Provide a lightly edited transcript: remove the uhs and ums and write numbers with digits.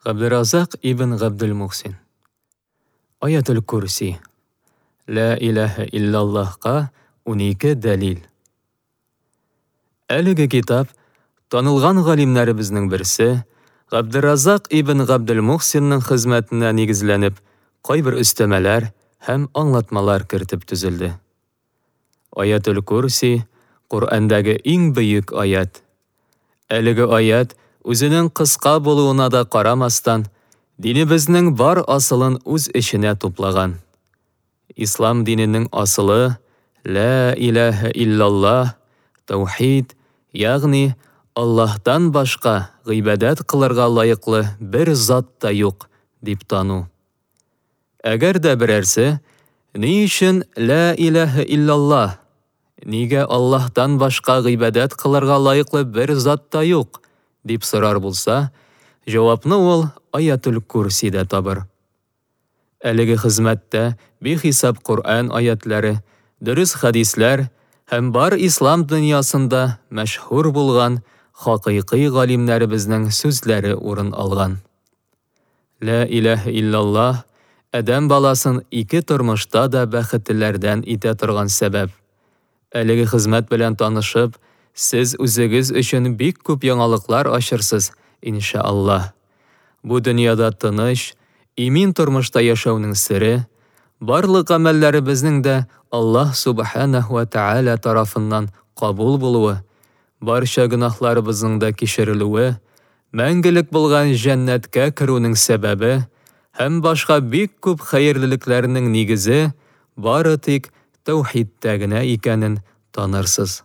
Габдерразак ибн Габделмухсин. Аятел Курси. Лә иләһә иллаллаһка 12 дәлил. Әлеге китап танылган галимнәребезнең берсе Габдерразак ибн Габделмухсинның хезмәтенә нигезләнеп, кайбер өстәмәләр һәм аңлатмалар кертеп төзелде. Аятел Курси, Коръәндәге иң бөек аять. Әлеге аять үзенең кыска булуына да карамастан, динебезнең бар асылын үз эченә туплаган. Ислам диненең асылы, Лә иләһә иллаллаһ, таухид, ягъни Аллаһтан башка гыйбадәт кылырга лаеклы бер зат та юк, дип тану. Әгәр дә берәрсе, Ни өчен лә иләһә иллаллаһ, нигә Аллаһтан башка гыйбадәт кылырга лаеклы бер зат та юк, дип сорар булса, җавапны ул Аятүл Курсидә табыр. Әлеге хезмәттә бихисап Коръән аятләре, дөрес хәдисләр һәм бар ислам дөньясында мәшһүр булган хакыйкый галимнәребезнең сүзләре урын алган. Лә иләһә иллаллаһ, адәм баласын ике тормышта да бәхетлеләрдән итә торган сәбәп. Әлеге хезмәт белән танышып, сез үзегез өчен бик күп яңалыклар ачырсыз, иншааллаһ. Бу дөньяда тыныч, имин тормышта яшәүнең сере, барлык гамәлләребезнең дә Аллаһ Субханәһү вә Тәгалә тарафыннан кабул булуы, барча гөнаһларыбызның да кичерелүе, мәңгелек булган җәннәткә керүнең сәбәбе һәм башка бик күп хәерлелекләрнең нигезе бары тик тәүхидтә генә икәнен танырсыз.